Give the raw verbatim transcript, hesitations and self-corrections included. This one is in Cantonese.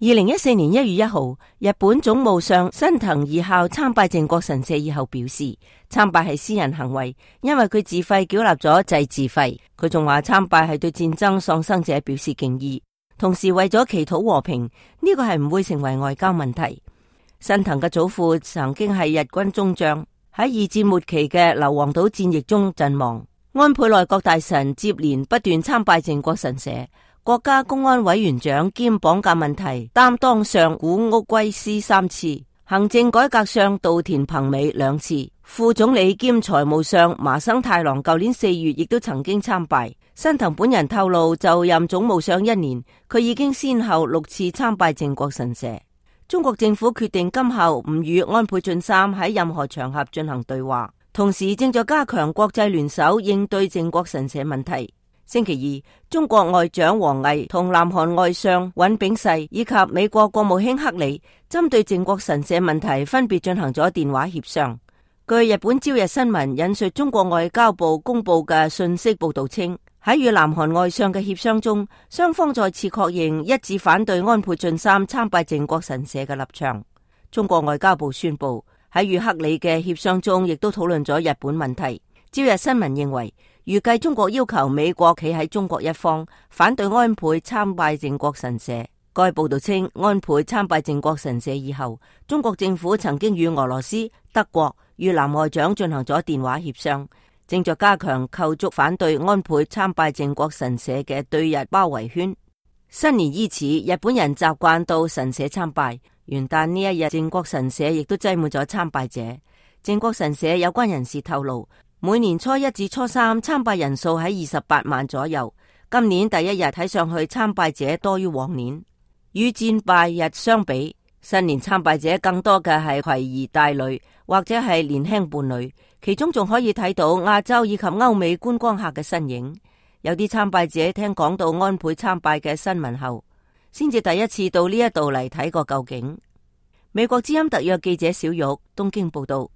二零一四年一月一號，日本總務相新藤義孝參拜靖國神社以後表示，參拜係私人行為，因為佢自費繳納咗祭祀費。佢仲話參拜係對戰爭喪生者表示敬意，同時為咗祈禱和平，呢個係唔會成為外交問題。新藤嘅祖父曾經係日軍中將，喺二戰末期嘅硫磺島戰役中陣亡。安倍內閣大臣接連不斷參拜靖國神社。國家公安委員長兼綁架問題擔當相古屋圭司三次，行政改革相稻田朋美兩次，副總理兼財務相麻生太郎舊年四月亦都曾經參拜。新藤本人透露，就任總務相一年，佢已經先後六次參拜靖國神社。中國政府決定今後唔與安倍晉三喺任何場合進行對話，同時正在加強國際聯手應對靖國神社問題。星期二，中國外長王毅同南韓外相尹炳世以及美國國務卿克里針對靖國神社問題分別進行咗電話協商。據日本朝日新聞引述中國外交部公布嘅信息報道稱，喺與南韓外相嘅協商中，雙方再次確認一致反對安倍晉三參拜靖國神社嘅立場。中國外交部宣布喺與克里嘅協商中，亦都討論咗日本問題。朝日新聞認為，預計中國要求美國企喺中國一方，反對安倍參拜靖國神社。該報道稱，安倍參拜靖國神社以後，中國政府曾經與俄羅斯、德國、越南外長進行咗電話協商，正在加強構築反對安倍參拜靖國神社嘅對日包圍圈。新年伊始，日本人習慣到神社參拜。元旦呢一日，靖國神社亦都擠滿咗參拜者。靖國神社有關人士透露，每年初一至初三參拜人數喺二十八萬左右，今年第一日睇上去參拜者多於往年。與戰拜日相比，新年參拜者更多嘅係攜兒帶女或者係年輕伴侶，其中仲可以睇到亞洲以及歐美觀光客嘅身影。有啲參拜者聽講到安倍參拜嘅新聞後，先至第一次到呢一度嚟睇個究竟。美國之音特約記者小玉東京報道。